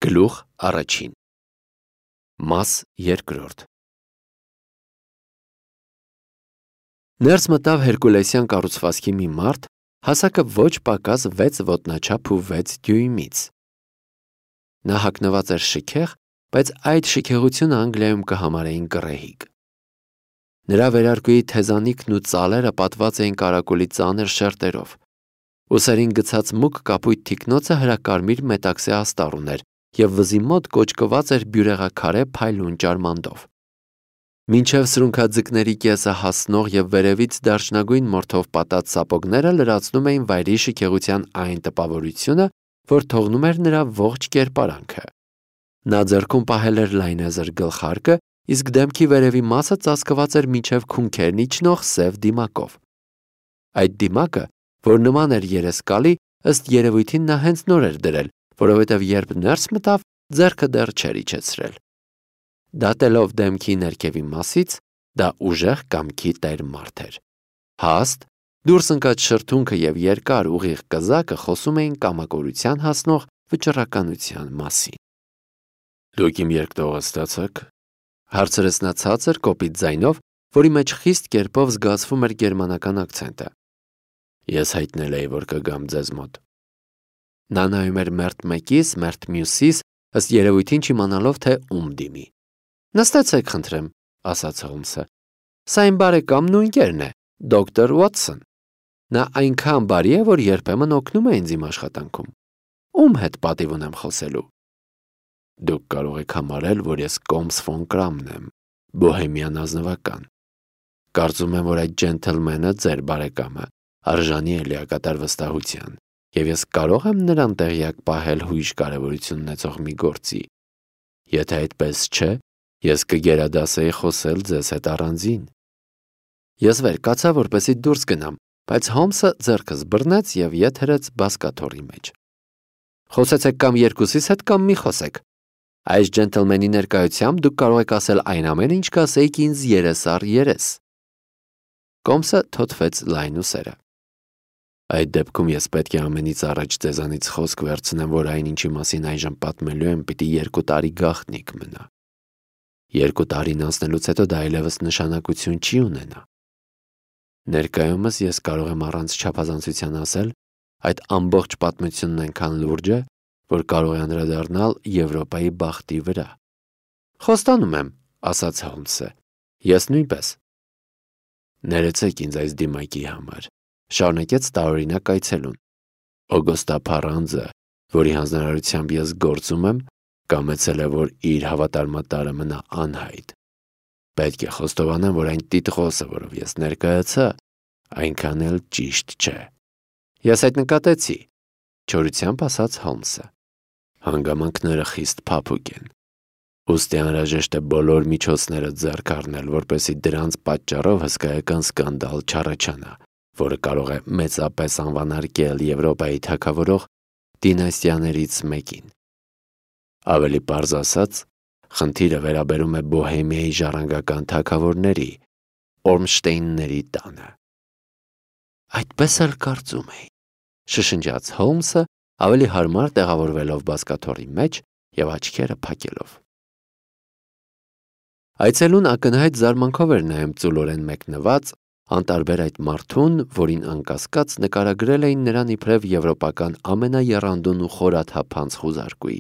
Գլուխ առաջին Մաս երկրորդ Ներս մտավ հերկուլեսյան կառուցվածքի մի մարդ, հասակը ոչ պակաս 6 ոտնաչափ ու 6 դյույմից։ Նա հագնված էր շքեղ, բայց այդ շքեղությունը Անգլիայում կհամարեին կռեհիկ։ Նրա վերարկուի թեզանիքն ու ծալերը պատված էին կարակուլի ծանր շերտերով։ Ուսերին գցած մուգ կապույտ թիկնոցը հրակարմիր մետաքսե աստառ ուներ և վզի մոտ կոճկված էր բյուրեղաքարե փայլուն ճարմանդով։ Մինչև սրունքաձկների կեսը հասնող և վերևից դարչնագույն մորթով պատած սապոգները լրացնում էին վայրի շքեղության այն տպավորությունը, որ թողնում էր նրա ողջ կերպարանքը։ Նա ձեռքում պահել էր լայնեզր գլխարկը, իսկ դեմքի վերևի մասը ծածկված էր մինչև քունքերն իջնող սև դիմակով։ Այդ դիմակը, որ նման էր երեսկալի, ըստ երևույթին նա հենց նոր էր դրել, որովհետև երբ ներս մտավ, ձեռքը դեռ չէր իջեցրել։ Դատելով դեմքի ներքևի մասից, դա ուժեղ կամքի տեր մարդ էր։ Հաստ, դուրս ընկած շրթունքը և երկար ուղիղ կզակը խոսում էին կամակորության հասնող վճռականության մասին։ «Դուք իմ երկտողը ստացաք», հարցրեց նա ցածր կոպիտ ձայնով, որի մեջ խիստ կերպով զգացվում էր գերմանական ակցենտը։ «Ես հայտնել էի, որ կգամ ձեզ մոտ»։ Նա նայում էր մերթ մեկիս, մերթ մյուսիս, ըստ երևույթին չիմանալով, թե ում դիմի։ «Նստեցեք, խնդրեմ», ասաց Հոլմսը։ «Սա իմ բարեկամն ու ընկերն է, դոկտոր Ուոտսոն։ Նա այնքան բարի է, որ երբեմն օգնում է ինձ իմ աշխատանքում։ Ում հետ պատիվ ունեմ խոսելու»։ «Դուք կարող եք համարել, որ ես Կոմս ֆոն Կրամն եմ, բոհեմյան ազնվական։ Կարծում եմ, որ այդ ջենթլմենը, ձեր բարեկամը, արժանի է լիակատար վստահության, և ես կարող եմ նրան տեղյակ պահել հույժ կարևորություն ունեցող մի գործի։ Եթե այդպես չէ, ես կգերադասեի խոսել ձեզ հետ առանձին»։ Ես վեր կացա, որպեսզի դուրս գնամ, բայց Հոլմսը ձեռքս բռնեց և ետ հրեց բազկաթոռի մեջ։ «Խոսեցեք կամ երկուսիս հետ, կամ մի խոսեք։ Այս ջենթլմենի ներկայությամբ դուք կարող եք ասել այն ամենը, ինչ կասեիք ինձ երես առ երես»։ Կոմսը թոթվեց լայն ուսերը։ «Այդ դեպքում ես պետք է ամենից առաջ ձեզանից խոսք վերցնեմ, որ այն, ինչի մասին այժմ պատմելու եմ, պիտի 2 տարի գաղտնիք մնա։ 2 տարին անցնելուց հետո դա այլևս նշանակություն չի ունենա։ Ներկայումս ես կարող եմ առանց չափազանցության ասել, այդ ամբողջ պատմությունն այնքան լուրջ է, որ կարող է անդրադառնալ Եվրոպայի բախտի վրա»։ «Խոստանում եմ», ասաց Հոլմսը։ «Ես նույնպես»։ «Ներեցեք ինձ այս դիմակի համար», շարունակեց տարօրինակ այցելուն։ «Օգոստա Փառանձը, որի հանձնարարությամբ ես գործում եմ, կամեցել է, որ իր հավատարմատարը մնա անհայտ։ Պետք է խոստովանեմ, որ այն տիտղոսը, որով ես ներկայացա, այնքան էլ ճիշտ չէ»։ «Ես այդ նկատեցի», չորությամբ ասաց Հոլմսը։ «Հանգամանքները խիստ փափուկ են։ Ուստի անհրաժեշտ է բոլոր միջոցները ձեռք առնել, որպեսզի դրանց պատճառով հսկայական սկանդալ չառաջանա, որը կարող է մեծապես անվանարկել Եվրոպայի թագավորող դինաստիաներից մեկին։ Ավելի պարզ ասած, խնդիրը վերաբերում է Բոհեմիայի ժառանգական թագավորների, Օրմշտեյնների տանը»։ «Այդպես էլ կարծում էի», շշնջաց Հոլմսը, ավելի հարմար տեղավորվելով բազկաթոռի մեջ և աչքերը փակելով։ Այցելուն ակնհայտ զարմանքով էր նայում ծուլորեն մեկնված, անտարբեր այդ մարդուն, որին անկասկած նկարագրել էին նրան իբրև եվրոպական ամենաեռանդուն ու խորաթափանց խուզարկուի։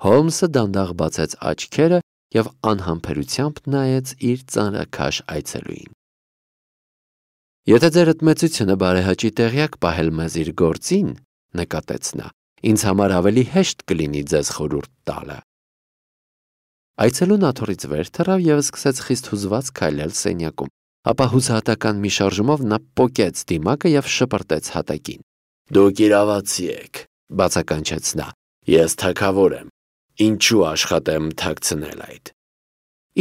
Հոլմսը դանդաղ բացեց աչքերը և անհամբերությամբ նայեց իր ծանրաքաշ այցելուին։ «Եթե ձեր ըտմեցությունը բարեհաճի տեղյակ պահել մեզ իր գործին, նկատեց նա, ինձ համար ավելի հեշտ կլինի ձեզ խորհուրդ տալը»։ Այցելուն աթոռից վեր թռավ և սկսեց խիստ հուզված քայլել սենյակում, ապա հուսահատական մի շարժումով նա պոկեց դիմակը և շպրտեց հատակին։ «Դուք իրավացի եք», բացականչեց նա։ «Ես թագավոր եմ։ Ինչու աշխատեմ թաքցնել այդ»։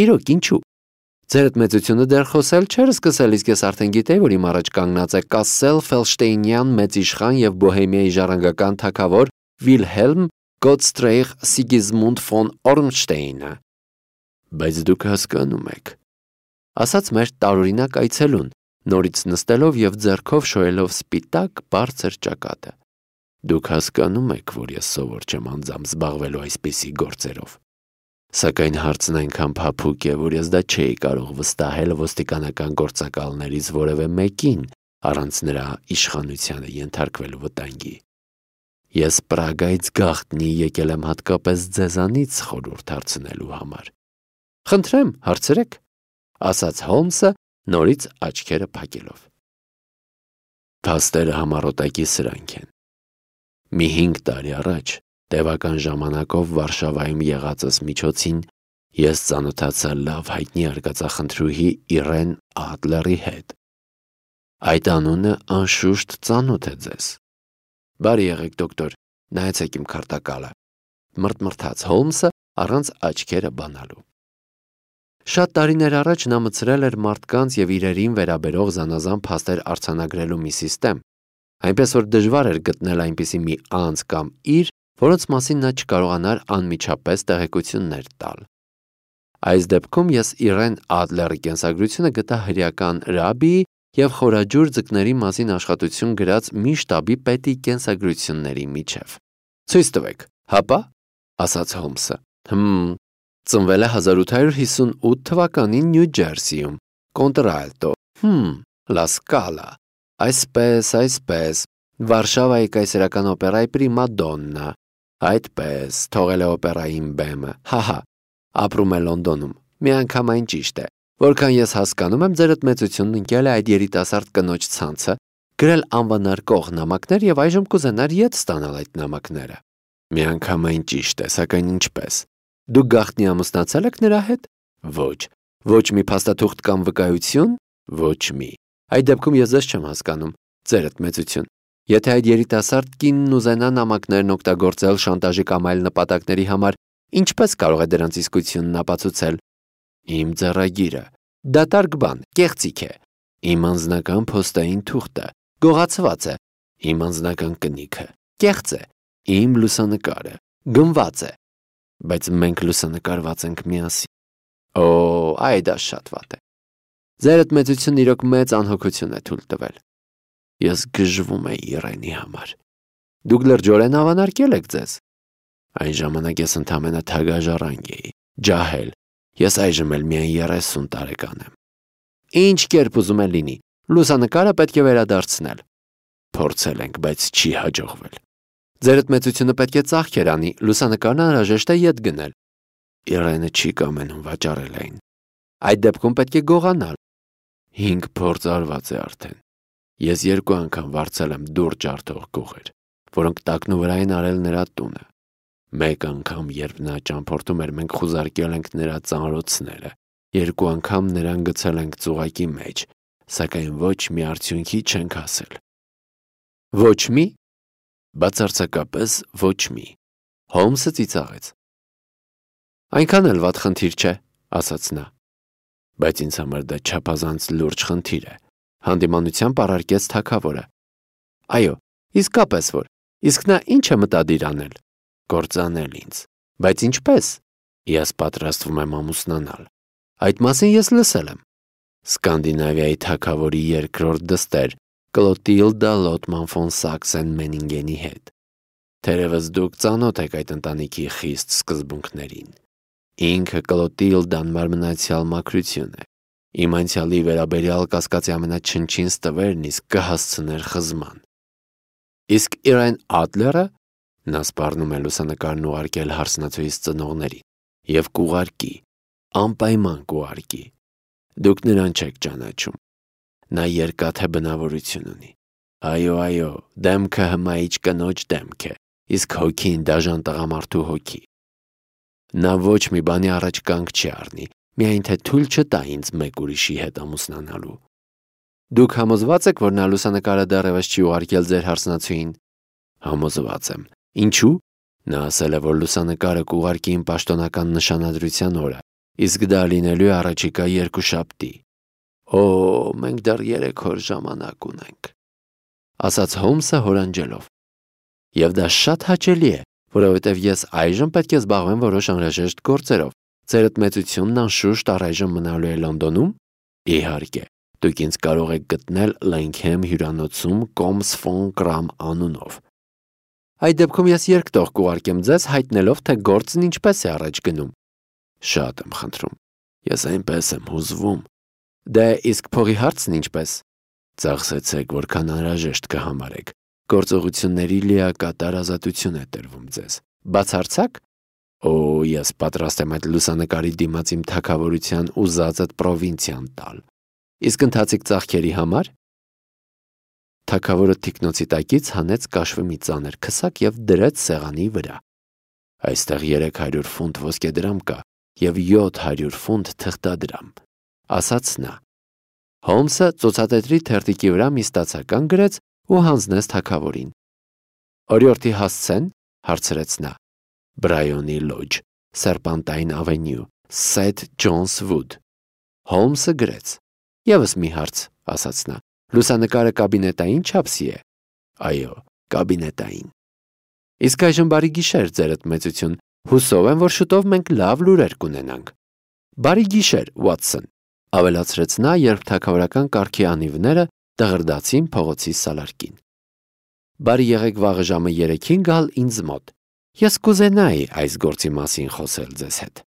«Իրոք, ինչու։ Ձեր ըտմեցությունը դեռ խոսել չէր սկսել, իսկ ես արդեն գիտեի, որ իմ առաջ կանգնած է Կասսել Ֆելշտեյնյան մեծ իշխան և Բոհեմիայի ժառանգական թագավոր Վիլհելմ Գոտստրեիխ Սիգիզմունդ ֆոն Օրմշտեյնը»։ «Բայց դուք հասկանում եք», ասաց մեր տարօրինակ այցելուն, նորից նստելով և ձեռքով շոյելով սպիտակ բարձր ճակատը։ Դուք հասկանում եք, որ ես սովոր չեմ անձամբ զբաղվելու այսպիսի գործերով։ Սակայն հարցն այնքան փափուկ է, որ ես դա չէի կարող վստահել ոստիկանական գործակալներից որևէ մեկին, առանց նրա իշխանությանը ենթարկվելու վտանգի։ Ես Պրագայից գաղտնի եկել եմ հատկապես ձեզանից խորհուրդ հարցնելու համար։ Խնդրեմ, հարցրեք, ասաց Հոլմսը նորից աչքերը փակելով։ Փաստերը համառոտակի սրանք են։ Մի 5 տարի առաջ, տևական ժամանակով Վարշավայում եղածս միջոցին, ես ծանոթացա լավ հայտնի արկածախնդրուհի Իրեն Ադլերի հետ։ Այդ անունը անշուշտ ծանոթ է ձեզ։ Բարի եղեք, դոկտոր, նայեցեք իմ քարտակալը, մրթմրթաց Հոլմսը առանց աչքերը բանալու։ Շատ տարիներ առաջ նա մտցրել էր մարդկանց և իրերին վերաբերող զանազան փաստեր արձանագրելու մի սիստեմ, այնպես որ դժվար էր գտնել այնպիսի մի անձ կամ իր, որոնց մասին նա չկարողանար անմիջապես տեղեկություններ տալ։ Այս դեպքում ես Իրեն Ադլերի կենսագրությունը գտա հրեական ռաբբիի և խորաջուր ձկների մասին աշխատություն գրած մի շտաբի պետի կենսագրությունների միջև։ Ցույց տվեք, հապա, ասաց Հոլմսը։ Ծնվել է 1858 թվականին Նյու Ջերսիում, Կոնտրալտո, Լա Սկալա, այսպես, Վարշավայի կայսերական օպերայի պրիմադոննա, այդպես, թողել է օպերային բեմը, ապրում է Լոնդոնում, միանգամայն ճիշտ է, որքան ես հասկանում եմ, ձերդ մեծությունն ընկել է այդ երիտասարդ կնոջ ցանցը, գրել անվանարկող նամակներ և այժմ կուզենար ետ ստանալ այդ նամակները։ Միանգամայն ճիշտ է, սակայն ինչպես։ Դուք գաղտնի ամուսնացել եք նրա հետ։ Ոչ մի փաստաթուղթ կամ վկայություն։ Ոչ մի։ Այդ դեպքում ես ձեզ չեմ հասկանում, ձերդ մեծություն։ Եթե այդ երիտասարդ կինն ուզենա նամակներն օգտագործել շանտաժի կամ այլ նպատակների համար, ինչպես կարող է դրանց իսկությունն ապացուցել։ Իմ ձեռագիրը, դատարկ բան, կեղծիք է։ Իմ անձնական փոստային թուղթը, գողացված է։ Իմ անձնական կնիքը, կեղծ է։ Իմ լուսանկարը, գնված է։ Բայց մենք լուսանկարված ենք միասին։ Այ դա շատ վատ է։ Ձերդ մեծությունն իրոք մեծ անհոգություն է թույլ տվել։ Ես գժվում էի Իրենի համար։ Դուք լրջորեն ավանարկել եք ձեզ։ Այն ժամանակ ես ընդամենը թագաժառանգ էի, ջահել։ Ես այժմ էլ միայն 30 տարեկան եմ։ Ինչ կերպ ուզում է լինի, լուսանկարը պետք է վերադարձնել։ Փորձել ենք, բայց չի հաջողվել։ Ձերդ մեծությունը պետք է ծախքեր անի, լուսանկարն անհրաժեշտ է ետ գնել։ Իրենը չի կամենում վաճառել այն։ Այդ դեպքում պետք է գողանալ։ 5 փորձ արված է արդեն։ Ես 2 անգամ վարձել եմ դուռ ջարդող գողեր, որոնք տակնու վրա են արել նրա տունը։ Մեկ անգամ, երբ նա ճամփորդում էր, մենք խուզարկել ենք նրա ծանրոցները, 2 անգամ նրան գցել ենք ծուղակի մեջ, սակայն ոչ մի արդյունքի չենք հասել։ Ոչ մի։ Բացարձակապես ոչ մի։ Հոլմսը ծիծաղեց։ Այնքան էլ վատ խնդիր չէ, ասաց նա։ Բայց ինձ համար դա չափազանց լուրջ խնդիր է, հանդիմանությամբ առարկեց թագավորը։ Այո, իսկապես որ, իսկ նա ինչ է մտադիր անել։ Կործանել ինձ։ Բայց ինչպես։ Ես պատրաստվում եմ ամուսնանալ։ Այդ մասին ես լսել եմ։ Սկանդինավիայի թագավորի երկրորդ դստեր Կլոտիլդա Լոտման ֆոն Սաքսեն-Մենինգենի հետ։ Թերևս դուք ծանոթ եք այդ ընտանիքի խիստ սկզբունքներին։ Ինքը Կլոտիլդան մարմնացյալ մաքրություն է։ Իմ անցյալի վերաբերյալ կասկածի ամենաչնչին ստվերն իսկ կհասցներ խզման։ Իսկ Իրեն Ադլերը նա սպառնում է լուսանկարն ուղարկել հարսնացուից ծնողներին և կուղարկի, անպայման կուղարկի։ Դուք նրան չեք ճանաչում։ Նա երկաթե բնավորություն ունի։ Այո, դեմքը հմայիչ կնոջ դեմք է, իսկ հոգին դաժան տղամարդու հոգի։ Նա ոչ մի բանի առաջ կանգ չի առնի, միայն թե թույլ չտա ինձ մեկ ուրիշի հետ ամուսնանալու։ Դուք համոզված եք, որ նա լուսանկարը դեռևս չի ուղարկել ձեր հարսնացուին։ Համոզված եմ։ Ինչու։ Նա ասել է, որ լուսանկարը կուղարկի իմ պաշտոնական նշանադրության օրը, իսկ դա լինելու է առաջիկա 2 շաբթի։ Մենք դեռ 3 օր ժամանակ ունենք, ասաց Հոլմսը հորանջելով։ Եվ դա շատ հաճելի է, որովհետև ես այժմ պետք է զբաղվեմ որոշ անհրաժեշտ գործերով։ Ձերդ մեծությունն անշուշտ առայժմ մնալու է Լոնդոնում։ Իհարկե, դուք ինձ կարող եք գտնել Լենքհեմ հյուրանոցում Կոմս ֆոն Կրամ անունով։ Այդ դեպքում ես երկտող կուղարկեմ ձեզ, հայտնելով, թե գործն ինչպես է առաջ գնում։ Շատ եմ խնդրում։ Ես այնպես եմ հուզվում։ Դե իսկ փողի հարցն ինչպես։ Ծախսեցեք, որքան անհրաժեշտ կհամարեք։ Գործողությունների լիակատար ազատություն է տրվում ձեզ։ Բացարձակ։ Ես պատրաստ եմ այդ լուսանկարի դիմաց իմ թագավորության ուզածդ պրովինցիան տալ։ Իսկ ընթացիկ ծախքերի համար։ Թագավորը թիկնոցի տակից հանեց կաշվի մի ծանր քսակ և դրեց սեղանի վրա։ Այստեղ 300 ֆունտ ոսկեդրամ կա և 700 ֆունտ թղթադրամ, ասաց նա։ Հոլմսը ծոցատետրի թերթիկի վրա մի ստացական գրեց ու հանձնեց թագավորին։ Օրիորդի հասցեն, հարցրեց նա։ Բրայոնի լոջ, Սերպանտայն ավենյու, Սեթ Ջոնս Վուդ։ Հոլմսը գրեց։ Եվս մի հարց, ասաց նա։ Լուսանկարը կաբինետային չափսի է։ Այո, կաբինետային։ Իսկ այժմ բարի գիշեր, ձերդ մեծություն։ Հուսով եմ, որ շուտով մենք լավ լուրեր կունենանք։ Բարի գիշեր, Ուատսոն, ավելացրեց նա, երբ թագավորական կարգի անիվները դղրդացին փողոցի սալարկին։ Բարի եղեք վաղը ժամը 3-ին գալ ինձ մոտ։ Ես կուզենայի այս գործի մասին խոսել ձեզ հետ։